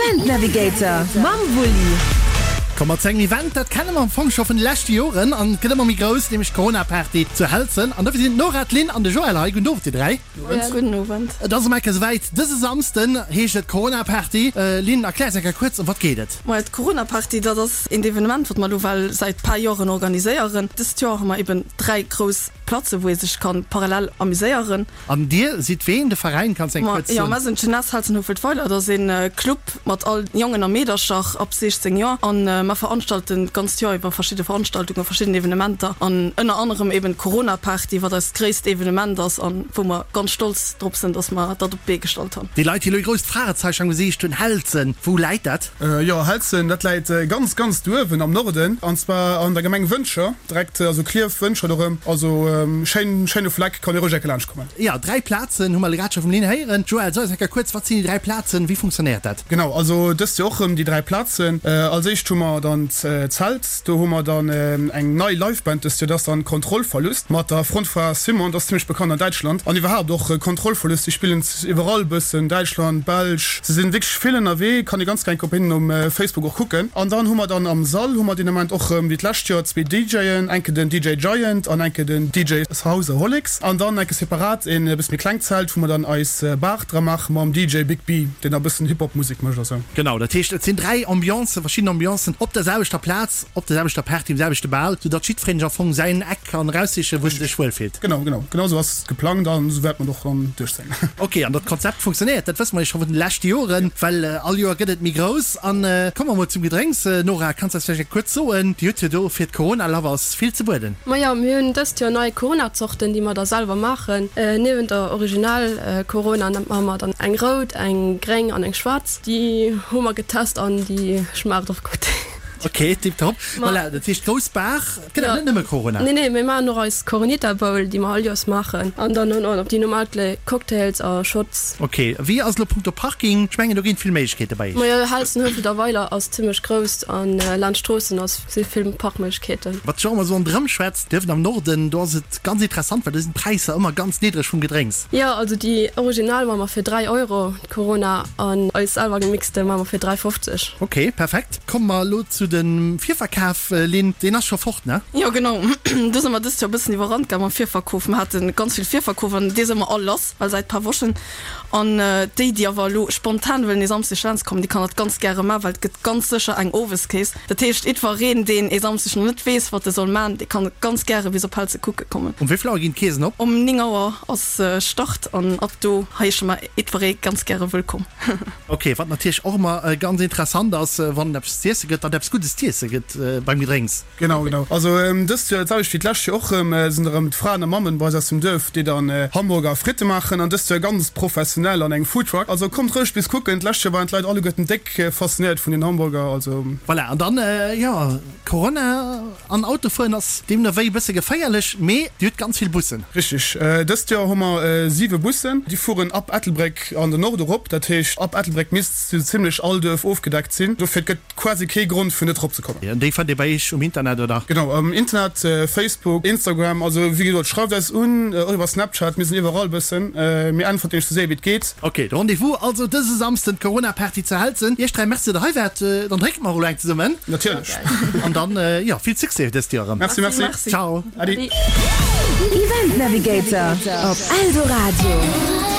Event Navigator mam Wulli. Komme mer zu engem Event, dat kenne mer am Fong scho vun de leschte Joren an et gëtt ëmmer méi grouss, nämlech d'Corona-Party zu Helzen. An dofir sinn d'Nora, d'Lynn an de Joël hei. Gudden Owend, dir 3. Gudden Owend. Et ass erëm eng Kéier souwäit, dëse Samsden heescht et Corona-Party. Lynn, erklär eis eng Kéier kuerz, ëm wat geet et? Majo, d'Corona-Party, dat ass eent Evenement, wat mer elo well säit paar Joren organiséieren. Dëst Joer hu mer eben 3 grouss Platzen, wou ee sech kann parallel amuséieren. An dir sidd ween? De Veräin kanns eng kuerz Jo, soen? mer sinn d'Jeunesse Helzen-Houfelt-Weiler. Dat ass een Club mat all Jongen a Meedercher ab 16 Joer an mer veranstalten d'ganzt Joer iwwer verschidde Veranstaltungen, verschidden Evenementer an ënner anerem eben d'Corona-Party, wat eist gréisst Evenement ass an wou mer ganz stolz drop sinn, dass mer dat op d'Bee gestallt han. Déi Leit, déi elo e grousst Fragezeichen am Gesiicht hunn, Helzen, wou läit dat? Jo, Helzen, dat läit ganz, ganz douewen am Norden, an zwar an der Gemeng Wëntger. Direkt, also Klierf, Wëntger do rëm, also schéin, schéine Fleck, kann ee roueg enke laanscht kommen. Jo, 3 Plazen hu mer elo grad scho vum Lynn héieren. Joël, so eis eng Kéier kuerz, wat sinn déi 3 Plazen, wéi funktionéiert dat? Genau, also dëst Joer och rëm déi 3 Plazen. Als éischt hu mer dann d'Zelt, do hu mer dann eng nei Liveband dëst Joer, dat ass dann Kontrollverlust mat der Frontfra Simon, dat ass zimmlech bekannt an Däitschland an iwwerhaapt och Kontrollverlust, déi spillen iwwerall bëssen, Däitschland, Belsch, se sinn wierklech vill ënnerwee, kann ee ganz gär op hinnen um Facebook och kucken. An dann hu mer dann am Sall hu mer deen Ament och rëm wéi d'lescht Joer zwee DJen, enke den DJ Giant an enke den DJ Houseaholics an dann enke separat een e bësse méi klengt Zelt wou mer dann eis Bar dra maache mam DJ Big B, deen da bëssen Hip-Hop Musek mécht a sou. Genau, dat heescht et sinn 3 Ambiancen, verschidden Ambiancen op der selwechter Plaz, op der selwechter Party, um selwechte Bal, sou datt jiddwereen sech am Fong säin Eck kann eraussichen, wou en sech wuel fillt. Genau, genau, genau sou ass et geplangt an sou wäert mer et och dann duerchzéien. Ok, an datt d'Konzept funktionéiert, dat wësse mer jo scho vun de leschte Joren, well all Joer gëtt et méi grouss. An komme mer mol zum Gedrénks. Nora, kanns de eis vläicht eng kuerz soen, Dir hutt jo do fir d'Corona-Lovers vill ze bueden. Majo, mir hunn dëst Joer nei Corona-Zorten, déi mer da selwer maachen. Niewent der Original Corona maache mer dann eng rout, eng gréng an eng schwaarz. Déi hu mer getest an déi schmaacht och gutt. Ok, tiptop. Voilà, dat heescht grouss Bar. Et gëtt awer net nëmme Corona. Nee, nee, mir maachen och eis Coronita Bowl, déi mer all Joers maachen. An dann och nach déi normal Cocktails a Shots. Ok, wéi ass elo punkto Parking? Ech mengen do ginn et vill Méiglechkeete bei iech. Majo, Helzen-Huefelt a Weiler ass zimmlech grouss an laanscht d'Stroossen ass si vill Parkméiglechkeeten. Wat sech och ëmmer esou ronderëm schwätzt, dierfen am Norden, do ass et ganz interessant, well do sinn d'Präisser ëmmer ganz niddreg vum Gedrénks. Jo, also déi original maache mer fir 3 Euro. Corona an eis selwer gemixte man mer fir 3,50. Ok, perfekt. Komme mer elo zu dem Virverkaf, Lynn. Deen ass scho fort, ne? Jo genau, do si mer dëst Joer e bëssen iwwerrannt gaang mam Virverkof. Mer hate ganz vill Virverkof an dee si mer all lass, well säit paar Wochen. An déi, déi awer elo spontan wëllen ee Samsdeg laanscht kommen, déi kann dat ganz gäre man, well et gëtt ganz sécher eng Oweskeess. Dat heescht, jiddwereen, deen ee Samsdeg nach net weess, wat e soll man, dee kann ganz gäre bis op Helze kucke kommen. Um wéi vill Auer ginn d'Keesen op? Um 9 Auer ass Start an ab do heesche mer Jiddweree ganz gäre wëllkomm. Ok, wat natierlech och ëmmer ganz interessant ass, wann et eppes z'iesse gëtt, datt eppes Guddes z'iesse gëtt beim Gedrénks. Genau, genau. Also dëst Joer, dat selwecht wéi d'lescht Joer och erëm, sinn erëm d'Fraen a Mammen bei eis aus dem Duerf, déi dann Hamburger a Fritte maachen an dëst Joer ganz professionell an engem Foodtruck. Also kommt roueg bis kucken. D'lescht Joer waren d'Leit alleguerten déck faszinéiert vun den Hamburger, also. Voilà, an dann, jo, Corona an Auto fueren ass deemno wéi e bësse geféierlech, mee Dir hutt ganz vill Bussen. Richtig. Dëst Joer hu mer 7 Bussen. Déi fueren ab Ettelbréck an den Norde rop. Dat heescht, ab Ettelbréck misst sou zimlech all Duerf ofgedeckt sinn. Dofir, et gëtt quasi kee Grond fir net rop ze kommen. An déi fannt Dir bei Iech um Internet, oder? Genau, um Internet, Facebook, Instagram. Also wéi gesot, schreift eis un, och iwwer Snapchat. Mir sinn iwwerall e bëssen. Mir äntwerten Iech sou séier wéi et geet. Ok, de Rendez-vous also dëse Samsden, d'Corona-Party zu Helzen. Iech 3, merci datt der hei waart. Dann drénke mer och elo eng zesummen. Natierlech. An dann, jo, vill Succès dëst Joer erëm. Merci, merci. Ciao. Adi. Event Navigator op Eldoradio.